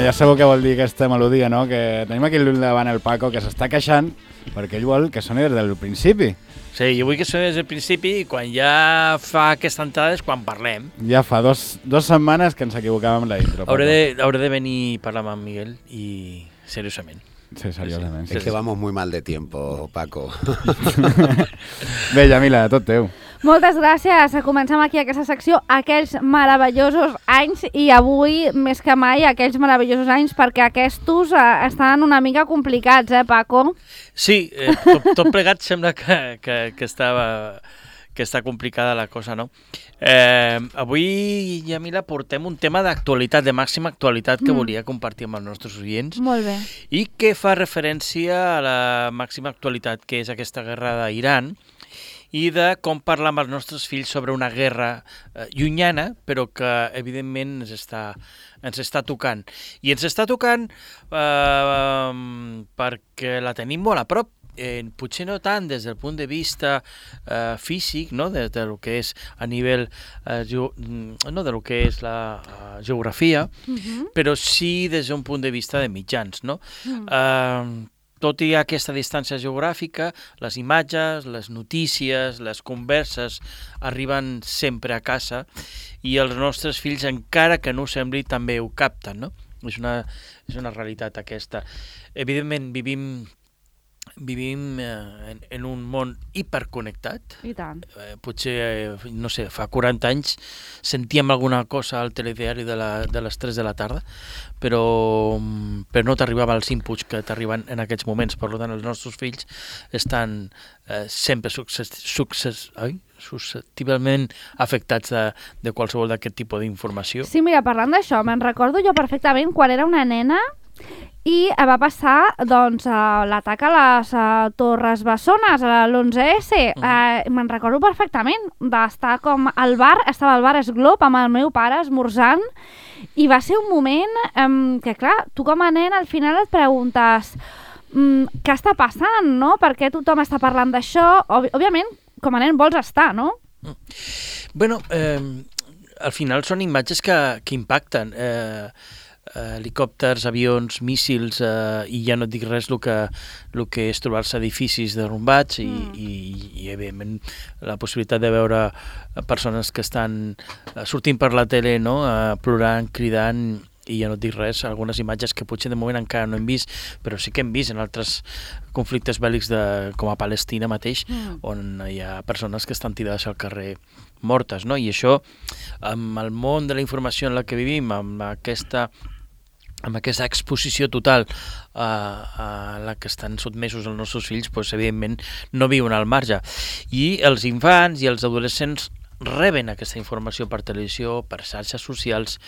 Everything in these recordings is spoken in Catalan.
Bueno, ja sabeu què vol dir aquesta melodia, no? Que tenim aquí davant el Paco, que s'està queixant perquè ell vol que soni des del principi. Sí, jo vull que soni des del principi i quan ja fa aquesta entrada és quan parlem. Ja fa dos setmanes que ens equivocàvem amb la intro. Hauré de venir a parlar amb en Miguel i seriosament. Sí, seriosament. Sí. Es que vamos muy mal de tiempo, Paco. Bé, Yamila, tot teu. Moltes gràcies. Comencem aquí aquesta secció, aquells meravellosos anys, i avui, més que mai, aquells meravellosos anys, perquè aquests estan una mica complicats, Paco? Sí, tot plegat sembla que està complicada la cosa, no? Avui, Yamila, portem un tema d'actualitat, de màxima actualitat, que volia compartir amb els nostres oients. Molt bé. I que fa referència a la màxima actualitat, que és aquesta guerra d'Iran, i de com parlar amb els nostres fills sobre una guerra llunyana, però que evidentment ens està tocant. I ens està tocant perquè la tenim molt a prop. Potser no tant des del punt de vista físic, no? Des del que és a nivell no del que és la geografia, però sí des d'un punt de vista de mitjans, no? Tot i aquesta distància geogràfica, les imatges, les notícies, les converses arriben sempre a casa i els nostres fills, encara que no ho sembli, també ho capten, no? És una realitat aquesta. Evidentment, vivim en un món hiperconnectat. I tant. Potser, no sé, fa 40 anys sentíem alguna cosa al telediari de les 3 de la tarda, però no t'arribava els inputs que t'arriben en aquests moments. Per tant, els nostres fills estan sempre susceptiblement afectats de qualsevol d'aquest tipus d'informació. Sí, mira, parlant d'això, me'n recordo jo perfectament quan era una nena i va passar doncs, l'atac a les Torres Bessones, a l'11S. Me'n recordo perfectament d'estar com al bar, estava al bar Esglob amb el meu pare esmorzant, i va ser un moment que, clar, tu com a nen al final et preguntes què està passant, no? Per què tothom està parlant d'això? Òbviament, com a nen vols estar, no? Bueno, al final són imatges que impacten. Helicòpters, avions, míssils, i ja no et dic res el que és trobar-se edificis derrumbats i evidentment la possibilitat de veure persones que estan sortint per la tele, no? Plorant, cridant, i ja no et dic res, algunes imatges que potser de moment encara no hem vist, però sí que hem vist en altres conflictes bèl·lics com a Palestina mateix, on hi ha persones que estan tirades al carrer mortes, no? I això, amb el món de la informació en la que vivim, amb aquesta exposició total a la que estan sotmesos els nostres fills, doncs, evidentment no viuen al marge. I els infants i els adolescents reben aquesta informació per televisió, per xarxes socials,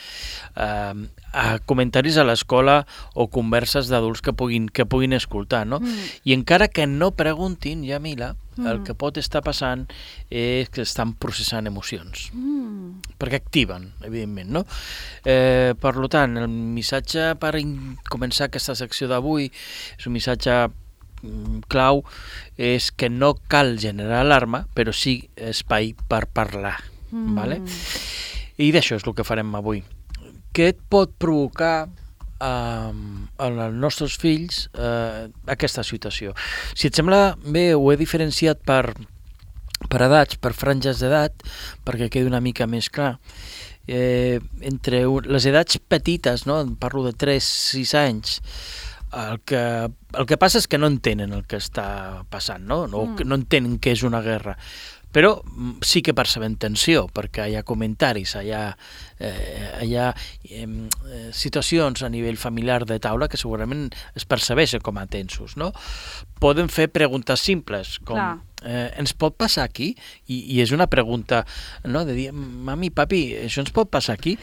comentaris a l'escola o converses d'adults que puguin escoltar, no? I encara que no preguntin, Yamila, el que pot estar passant és que estan processant emocions, perquè activen, evidentment, no? Per tant, el missatge per començar aquesta secció d'avui és un missatge clau, és que no cal generar alarma, però sí espai per parlar, vale? I d'això és el que farem avui. Què et pot provocar als nostres fills aquesta situació? Si et sembla bé, ho he diferenciat per edats, per franges d'edat, perquè quedi una mica més clar. Entre les edats petites, no? Parlo de 3-6 anys, el que passa és que no entenen el que està passant, no? No entenen què és una guerra, però sí que perceben tensió, perquè hi ha comentaris, hi ha situacions a nivell familiar de taula que segurament es percebeixen com a tensos, no? Poden fer preguntes simples, com ens pot passar aquí? I és una pregunta, no? De dir, mami, papi, això ens pot passar aquí?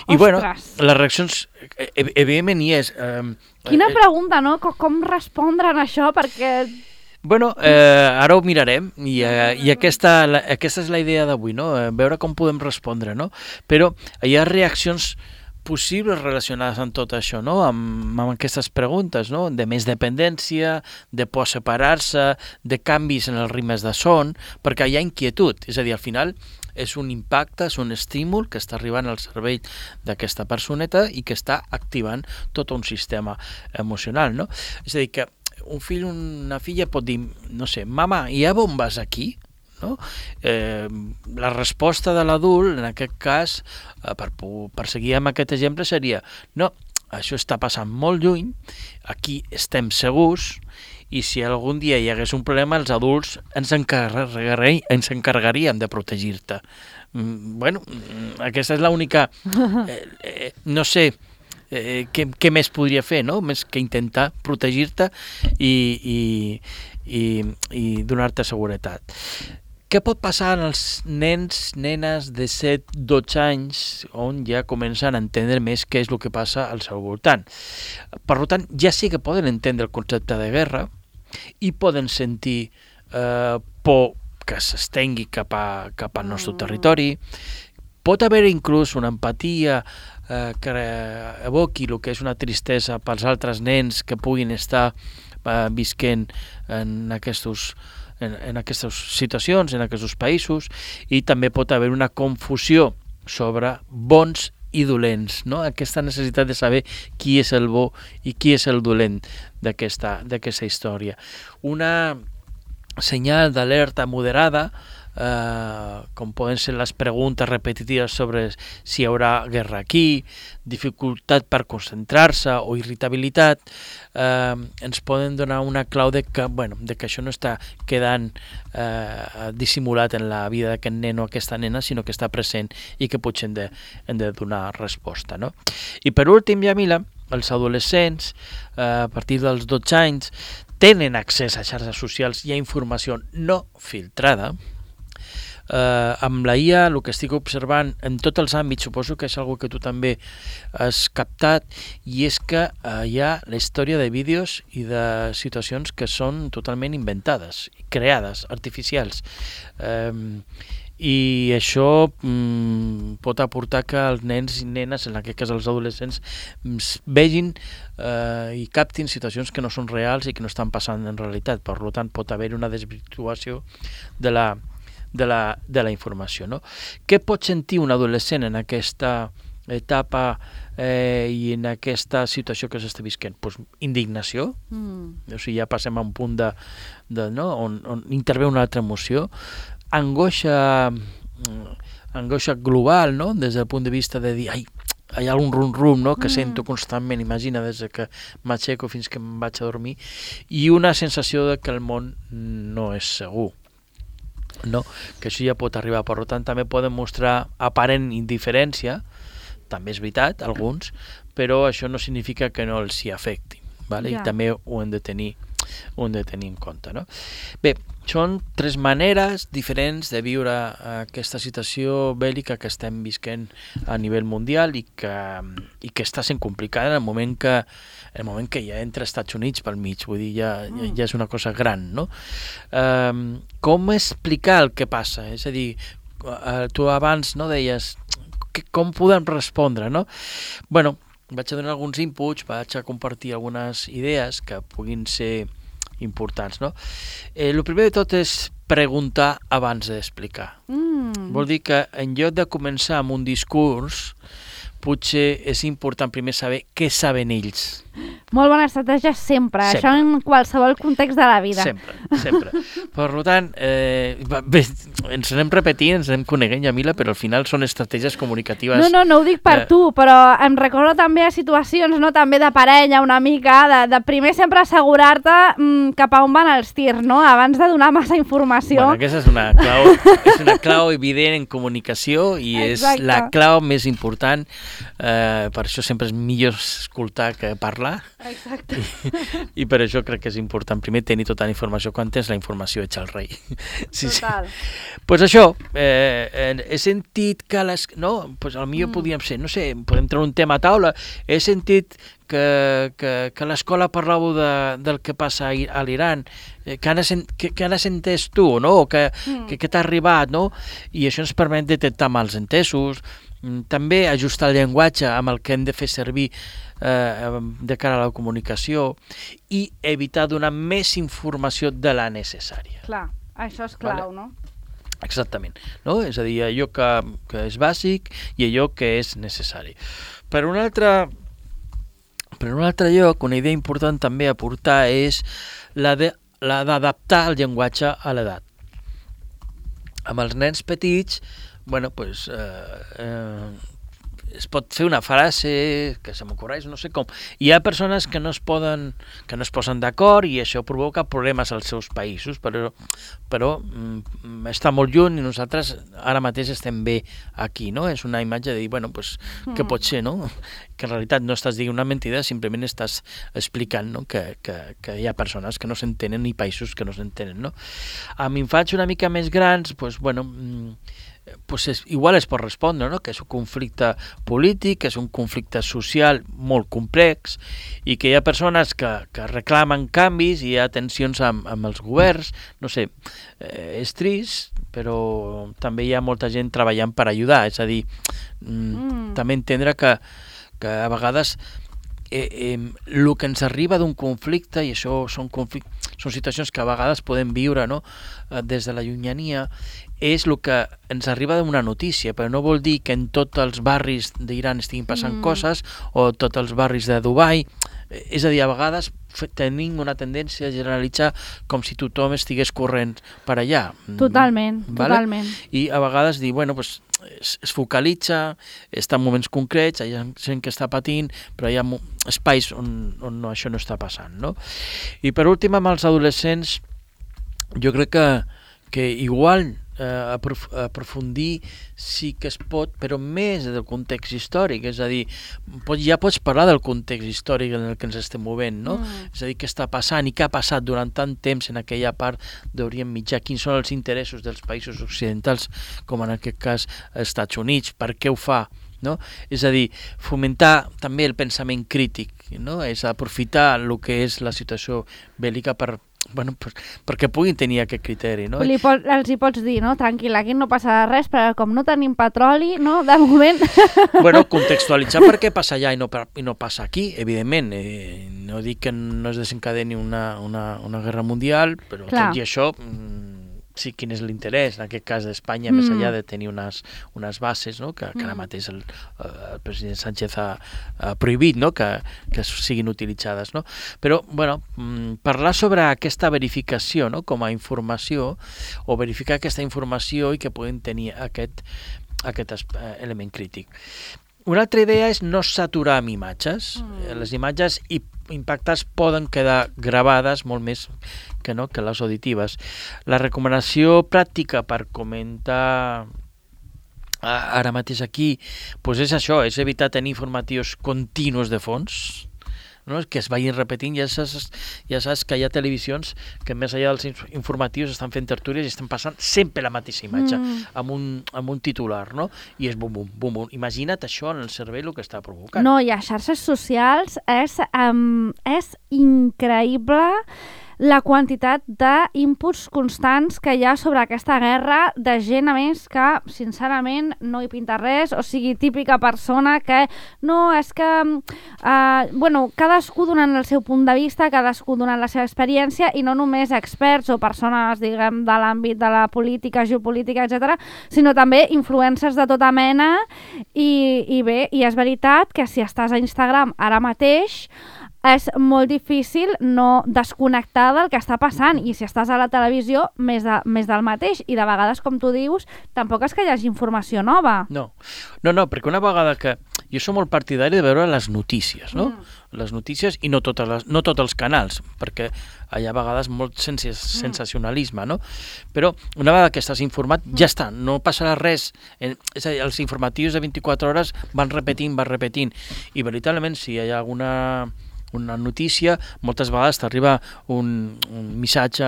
I bueno, les reaccions, evidentment hi és. Quina pregunta, no? Com respondre a això? Perquè... Bueno, ara ho mirarem i aquesta és la idea d'avui, no? Veure com podem respondre, no? Però hi ha reaccions possibles relacionades amb tot això, no? Amb aquestes preguntes, no? De més dependència, de por a separar-se, de canvis en els ritmes de son, perquè hi ha inquietud, és a dir, al final és un impacte, és un estímul que està arribant al cervell d'aquesta personeta i que està activant tot un sistema emocional, no? És a dir, que un fill o una filla pot dir, no sé, mama, i a on vas aquí? No? La resposta de l'adult, en aquest cas, per seguir amb aquest exemple, seria no, això està passant molt lluny, aquí estem segurs, i si algun dia hi hagués un problema, els adults ens encarregaríem de protegir-te. Bueno, aquesta és l'única... no sé què més podria fer, no? Més que intentar protegir-te i donar-te seguretat. Què pot passar als nens, nenes de 7-12 anys on ja comencen a entendre més què és el que passa al seu voltant? Per tant, ja sí que poden entendre el concepte de guerra i poden sentir por que s'estengui cap al nostre territori. Pot haver inclús una empatia que evoqui el que és una tristesa pels altres nens que puguin estar visquent en aquestes situacions, en aquests països, i també pot haver una confusió sobre bons i dolents, no? Aquesta necessitat de saber qui és el bo i qui és el dolent d'aquesta història. Una senyal d'alerta moderada, com poden ser les preguntes repetitives sobre si hi haurà guerra aquí, dificultat per concentrar-se o irritabilitat, ens poden donar una clau de que això no està quedant dissimulat en la vida d'aquest nen o aquesta nena, sinó que està present i que potser hem de donar resposta, no? I per últim, Yamila, els adolescents, a partir dels 12 anys, tenen accés a xarxes socials i a informació no filtrada. Amb la IA, el que estic observant en tots els àmbits, suposo que és una que tu també has captat, i és que hi ha la història de vídeos i de situacions que són totalment inventades, creades, artificials. I això pot aportar que els nens i nenes, en aquest cas els adolescents, vegin i captin situacions que no són reals i que no estan passant en realitat. Per tant, pot haver una desvirtuació de la informació, no? Què pot sentir un adolescent en aquesta etapa i en aquesta situació que s'està visquent? Pues, indignació, o sigui, ja passem a un punt no? on intervé una altra emoció, angoixa global, no? Des del punt de vista de dir, hi ha un rum-rum, no? Que sento constantment, imagina, des que m'aixeco fins que em vaig a dormir, i una sensació de que el món no és segur, no? Que això ja pot arribar. Per tant, també poden mostrar aparent indiferència, també és veritat, alguns, però això no significa que no els hi afecti, vale? I també ho hem de tenir en compte, no? Bé, són 3 maneres diferents de viure aquesta situació bèl·lica que estem visquent a nivell mundial i que està sent complicada en el moment que ja entra Estats Units pel mig, vull dir, ja és una cosa gran, no? Com explicar el que passa? És a dir, tu abans no deies com podem respondre, no? Bueno, vaig a donar alguns inputs, vaig a compartir algunes idees que puguin ser importants, no? El primer de tot és preguntar abans d'explicar. Vol dir que en lloc de començar amb un discurs, potser és important primer saber què saben ells. Molt bona estratègia sempre. Això en qualsevol context de la vida. Sempre. Per tant, bé, ens anem repetint, ens anem coneguent, Yamila, però al final són estratègies comunicatives. No ho dic per tu, però em recordo també a situacions, no, també de parella, una mica, de primer sempre assegurar-te cap a on van els tirs, no? Abans de donar massa informació. Bueno, aquesta és una clau evident en comunicació i és la clau més important. Per això sempre és millor escoltar que parlar. Exacte. I per això crec que és important primer tenir tota la informació. Quan tens la informació ets el rei. Total. Pues això, he sentit que potser podríem ser, no sé, podem treure un tema a taula, he sentit que l'escola parlàveu del que passa a l'Iran, que has entès tu, no? O que t'ha arribat, no? I això ens permet detectar malentesos, també ajustar el llenguatge amb el que hem de fer servir de cara a la comunicació i evitar donar més informació de la necessària. Clar, això és clau, no? Exactament, no? És a dir, allò que és bàsic i allò que és necessari. Per un altre lloc, una idea important també a portar és la d'adaptar el llenguatge a l'edat. Amb els nens petits, bueno, pues, es pot fer una frase que se m'ocorreix, no sé com. Hi ha persones que no es posen d'acord i això provoca problemes als seus països, però està molt lluny i nosaltres ara mateix estem bé aquí, no? És una imatge de dir, bueno, pues, què pot ser, no? Que en realitat no estàs dient una mentida, simplement estàs explicant, no? que hi ha persones que no s'entenen i països que no s'entenen, no? Amb infants una mica més grans, pues, bueno, pues igual es pot respondre, no? Que és un conflicte polític, que és un conflicte social molt complex i que hi ha persones que reclamen canvis i hi ha tensions amb els governs, no sé, és trist, però també hi ha molta gent treballant per ajudar, és a dir, també entendre que a vegades el que ens arriba d'un conflicte, i això són situacions que a vegades podem viure, no? Des de la llunyania, és el que ens arriba d'una notícia, però no vol dir que en tots els barris d'Iran estiguin passant coses o tots els barris de Dubai. És a dir, a vegades tenim una tendència a generalitzar com si tothom estigués corrent per allà. Totalment, vale? Totalment. I a vegades dir, bueno, pues, es focalitza, està en moments concrets, hi ha gent que està patint, però hi ha espais on això no està passant, no? I per últim, amb els adolescents, jo crec que igual aprofundir sí que es pot, però més del context històric, és a dir, ja pots parlar del context històric en el que ens estem movent, no? És a dir, què està passant i què ha passat durant tant temps en aquella part d'Orient Mitjà, quins són els interessos dels països occidentals, com en aquest cas els Estats Units, per què ho fa, no? És a dir, fomentar també el pensament crític, no? És aprofitar el que és la situació bèl·lica perquè puguin tenir aquest criteri, no? Els hi pots dir, no? Tranquil, aquí no passarà res, però com no tenim petroli, no? De moment... Bueno, contextualitzar per què passa allà i no passa aquí, evidentment. No dic que no es desencadeni una guerra mundial, però Clar. tot i això... Sí, quin és l'interès, en aquest cas d'Espanya, més enllà de tenir unes bases, no? que ara mateix el president Sánchez ha prohibit, no? que siguin utilitzades. No? Però, bueno, parlar sobre aquesta verificació, no? Com a informació, o verificar aquesta informació i que puguin tenir aquest element crític. Una altra idea és no saturar amb imatges. Les imatges impactants poden quedar gravades molt més que les auditives. La recomanació pràctica per comentar ara mateix aquí és això, és evitar tenir informatius continus de fons, no? Que es vagin repetint. Ja saps que hi ha televisions que més enllà dels informatius estan fent tertúlies i estan passant sempre la mateixa imatge amb un titular, no? I és bum, bum, bum, bum. Imagina't això en el cervell el que està provocant. No, i a xarxes socials és increïble la quantitat d'inputs constants que hi ha sobre aquesta guerra, de gent a més que sincerament no hi pinta res, o sigui, típica persona que no, és que cadascú donant el seu punt de vista, cadascú donant la seva experiència, i no només experts o persones, diguem, de l'àmbit de la política, geopolítica, etc., sinó també influencers de tota mena, i bé, i és veritat que si estàs a Instagram ara mateix és molt difícil no desconnectar del que està passant, i si estàs a la televisió, més del mateix, i de vegades, com tu dius, tampoc és que hi hagi informació nova. No, perquè una vegada que... Jo soc molt partidari de veure les notícies, no? Les notícies, i no tots els canals, perquè hi ha a vegades molt sensacionalisme, no? Però una vegada que estàs informat, ja està, no passarà res. És a dir, els informatius de 24 hores van repetint, i veritablement, si hi ha una notícia, moltes vegades t'arriba un missatge,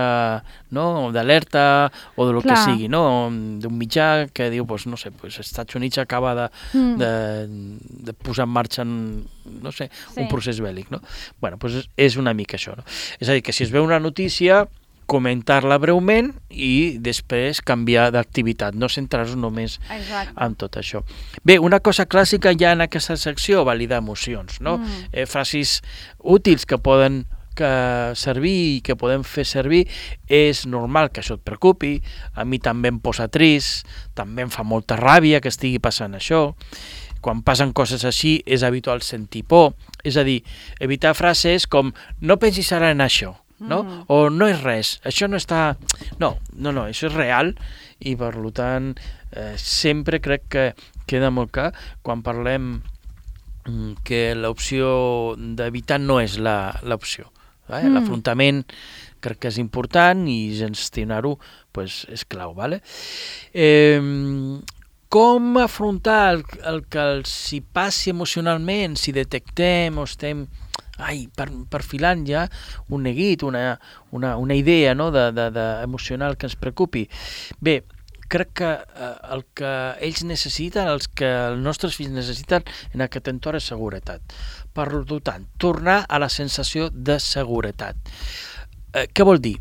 no?, d'alerta o de lo que sigui, no?, d'un mitjà que diu, no sé, els Estats Units acaba de posar en marxa no sé, un procés bèl·lic, no? Bueno, és una mica això, no? És a dir, que si es veu una notícia, comentar-la breument i després canviar d'activitat, no centrar-nos només en tot això. Bé, una cosa clàssica ja en aquesta secció, validar emocions, no? Frases útils que poden servir i que podem fer servir, és normal que això et preocupi, a mi també em posa trist, també em fa molta ràbia que estigui passant això, quan passen coses així és habitual sentir por, és a dir, evitar frases com no pensis ara en això, no? O no és res, això no està... No, això és real i per tant sempre crec que queda molt clar quan parlem que l'opció d'evitar no és l'opció. L'afrontament crec que és important i gestionar-ho és clau. Com afrontar el que els hi passi emocionalment, si detectem o estem perfilant ja un neguit, una idea emocional que ens preocupi. Bé, crec que el que ells necessiten, el que els nostres fills necessiten en aquest entorn és seguretat. Per tant, tornar a la sensació de seguretat. Què vol dir?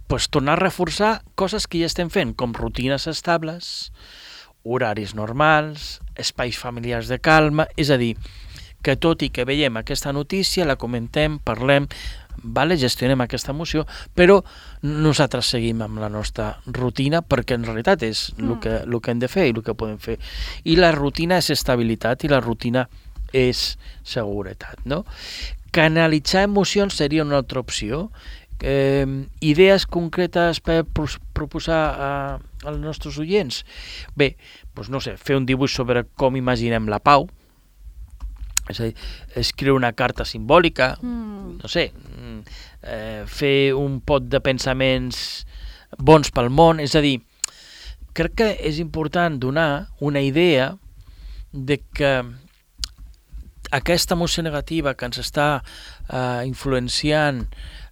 Tornar a reforçar coses que ja estem fent, com rutines estables, horaris normals, espais familiars de calma, és a dir, que tot i que veiem aquesta notícia, la comentem, parlem, gestionem aquesta emoció, però nosaltres seguim amb la nostra rutina perquè en realitat és el que hem de fer i el que podem fer. I la rutina és estabilitat i la rutina és seguretat, no? Canalitzar emocions seria una altra opció. Idees concretes per proposar als nostres oients? Bé, no sé, fer un dibuix sobre com imaginem la pau, és a dir, escriure una carta simbòlica, no sé, fer un pot de pensaments bons pel món, és a dir, crec que és important donar una idea de que aquesta emoció negativa que ens està influenciant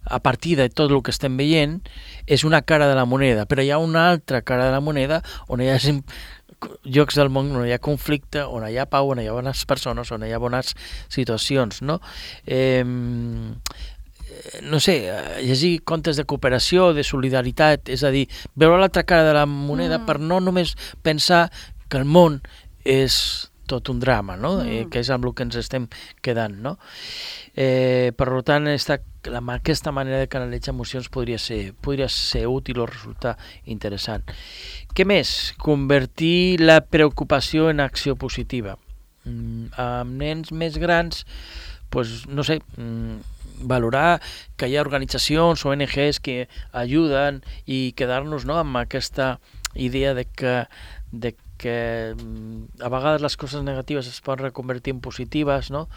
a partir de tot el que estem veient és una cara de la moneda, però hi ha una altra cara de la moneda on hi ha llocs del món on hi ha conflicte, on hi ha pau, on hi ha bones persones, on hi ha bones situacions, no? No sé, llegir contes de cooperació, de solidaritat, és a dir, veure l'altra cara de la moneda per no només pensar que el món és tot un drama, no? Que és amb el que ens estem quedant, no? Per tant, aquesta manera de canalitzar emocions podria ser útil o resultar interessant. Què més? Convertir la preocupació en acció positiva. Amb nens més grans, no sé, valorar que hi ha organitzacions o ONGs que ajuden i quedar-nos amb aquesta idea de que a vegades les coses negatives es poden reconvertir en positives, no?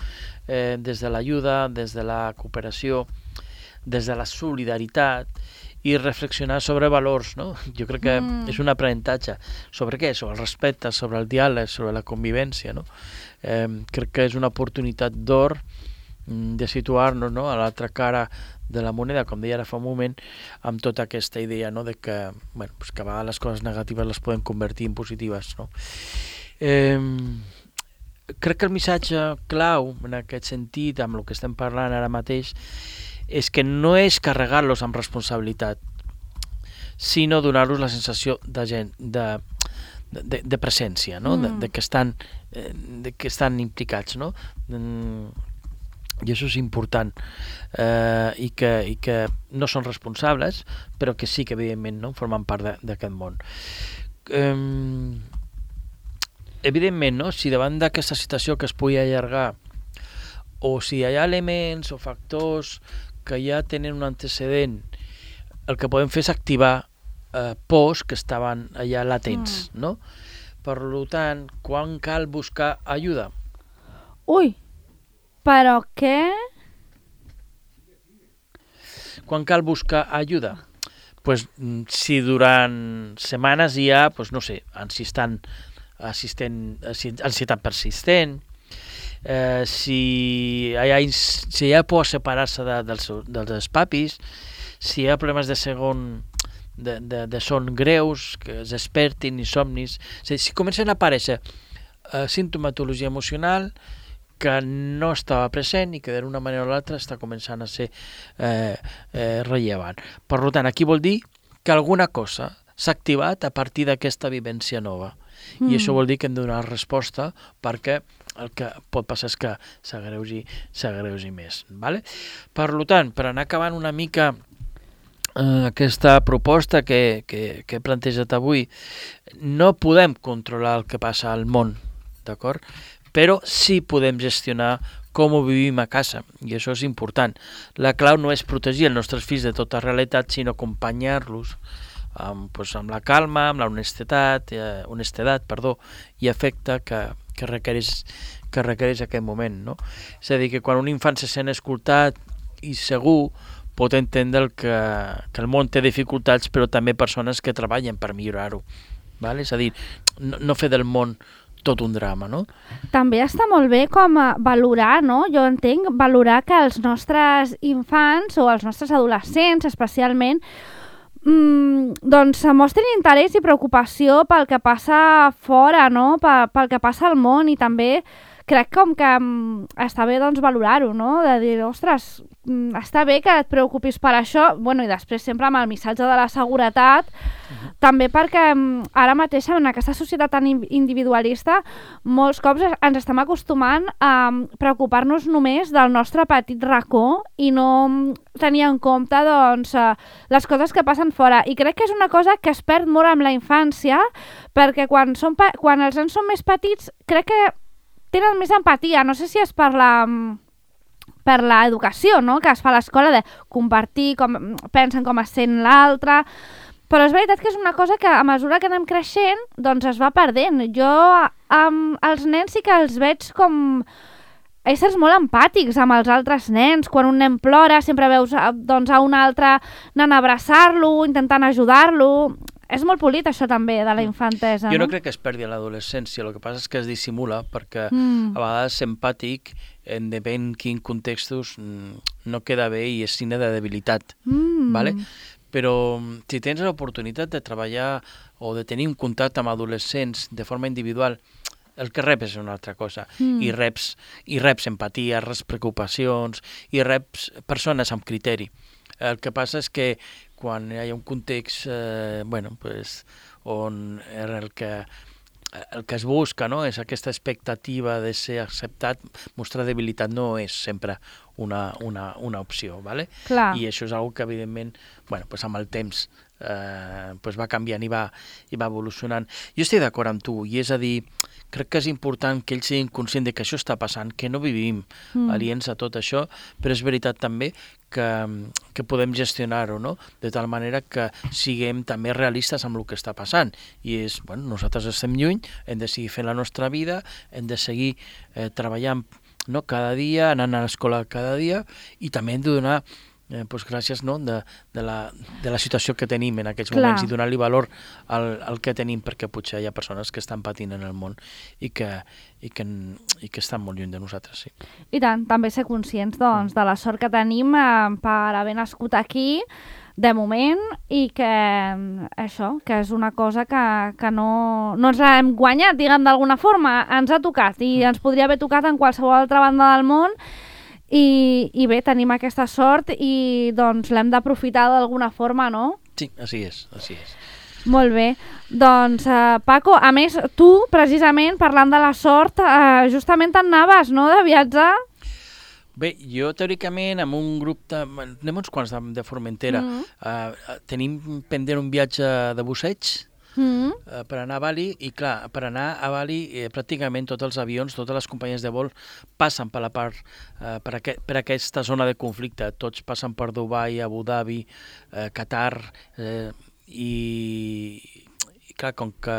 Des de l'ajuda, des de la cooperació, des de la solidaritat i reflexionar sobre valors, no? Jo crec que és un aprenentatge. Sobre què? Sobre el respecte, sobre el diàleg, sobre la convivència, no? Crec que és una oportunitat d'or de situar-nos, no?, a l'altra cara de la moneda, com deia ara fa un moment, amb tota aquesta idea, no?, de que, que a vegades les coses negatives les podem convertir en positives, no? Crec que el missatge clau en aquest sentit, amb el que estem parlant ara mateix, és que no és carregar-los amb responsabilitat, sinó donar-los la sensació de presència, no? De que estan implicats, no? I això és important, i que no són responsables, però que sí que evidentment no formen part d'aquest món. Evidentment, no? Si davant d'aquesta situació que es pugui allargar, o si hi ha elements o factors que ja tenen un antecedent, el que podem fer és activar pors que estaven allà latents, no? Per tant, quan cal buscar ajuda? Ui! Però què? Quan cal buscar ajuda? Si durant setmanes hi ha, no sé, ansietat persistent, si hi ha por separar-se dels papis, si hi ha problemes de son greus, que es despertin, insomnis, si comencen a aparèixer sintomatologia emocional que no estava present i que d'una manera o l'altra està començant a ser rellevant. Per tant, aquí vol dir que alguna cosa s'ha activat a partir d'aquesta vivència nova. I això vol dir que hem de donar resposta perquè el que pot passar és que s'agreugi més. Vale? Per tant, per anar acabant una mica aquesta proposta que he plantejat avui, no podem controlar el que passa al món, d'acord? Però sí podem gestionar com ho vivim a casa, i això és important. La clau no és protegir els nostres fills de tota realitat, sinó acompanyar-los amb la calma, amb la honestedat i afecte que requereix aquest moment. No? És a dir, que quan un infant se sent escoltat i segur, pot entendre que el món té dificultats, però també persones que treballen per millorar-ho. Vale? És a dir, no fer del món tot un drama, no? També està molt bé com valorar, no? Jo entenc, valorar que els nostres infants o els nostres adolescents, especialment, doncs mostrin interès i preocupació pel que passa fora, no? Pel que passa al món, i també crec com que està bé doncs valorar-ho, no? De dir, ostres, està bé que et preocupis per això, bueno, i després sempre amb el missatge de la seguretat, també perquè ara mateix en aquesta societat tan individualista molts cops ens estem acostumant a preocupar-nos només del nostre petit racó i no tenir en compte doncs, les coses que passen fora. I crec que és una cosa que es perd molt amb la infància, perquè quan els nens són més petits crec que tenen més empatia. No sé si és per l'educació, no?, que es fa a l'escola, de compartir, com pensen com es sent l'altre, però és veritat que és una cosa que a mesura que anem creixent doncs es va perdent. Jo els nens sí que els veig com éssers molt empàtics amb els altres nens. Quan un nen plora sempre veus doncs, a un altre anant a abraçar-lo, intentant ajudar-lo. És molt polit això també de la infantesa. Jo no crec que es perdi a l'adolescència, el que passa és que es dissimula perquè a vegades ser empàtic en depèn quin contextos no queda bé i és signe de debilitat. Vale? Però si tens l'oportunitat de treballar o de tenir un contacte amb adolescents de forma individual, el que reps és una altra cosa. I reps empatia, reps preocupacions i reps persones amb criteri. El que passa és que quan hi ha un context on el que es busca, no?, és aquesta expectativa de ser acceptat, mostrar debilitat no és sempre una opció, ¿vale? Clar. I això és una que evidentment amb el temps va canviant i va evolucionant. Jo estic d'acord amb tu, i és a dir, crec que és important que ells siguin conscients de que això està passant, que no vivim aliens a tot això, però és veritat també que podem gestionar-ho, no?, de tal manera que siguem també realistes amb el que està passant. I és, nosaltres estem lluny, hem de seguir fent la nostra vida, hem de seguir treballant cada dia, anant a l'escola cada dia, i també hem de donar gràcies de la situació que tenim en aquests moments i donar-li valor al que tenim, perquè potser hi ha persones que estan patint en el món i que estan molt lluny de nosaltres. Sí. I tant, també ser conscients doncs, de la sort que tenim per haver nascut aquí de moment, i que això, que és una cosa que no ens l'hem guanyat, diguem d'alguna forma, ens ha tocat i ens podria haver tocat en qualsevol altra banda del món. I bé, tenim aquesta sort i doncs l'hem d'aprofitar d'alguna forma, no? Sí, així és. Molt bé. Doncs, Paco, a més, tu, precisament, parlant de la sort, justament te'n anaves, no?, de viatjar? Bé, jo teòricament amb un grup anem uns quants de Formentera. Tenim pendent un viatge de busseig per anar a Bali, i clar, per anar a Bali pràcticament tots els avions, totes les companyies de vol passen per la part, per aquesta zona de conflicte. Tots passen per Dubai, Abu Dhabi, Qatar, i clar, com que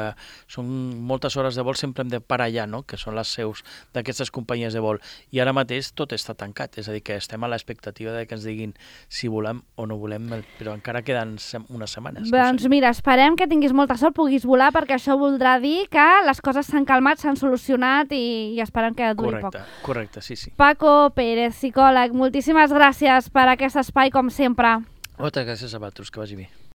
són moltes hores de vol, sempre hem de parar allà, no? Que són les seus d'aquestes companyies de vol. I ara mateix tot està tancat, és a dir, que estem a l'expectativa de que ens diguin si volem o no volem, però encara queden unes setmanes. Doncs mira, esperem que tinguis molta sort, puguis volar, perquè això voldrà dir que les coses s'han calmat, s'han solucionat i esperem que duri poc. Correcte, sí. Paco Pérez, psicòleg, moltíssimes gràcies per aquest espai, com sempre. Moltes gràcies a vosaltres, que vagi bé.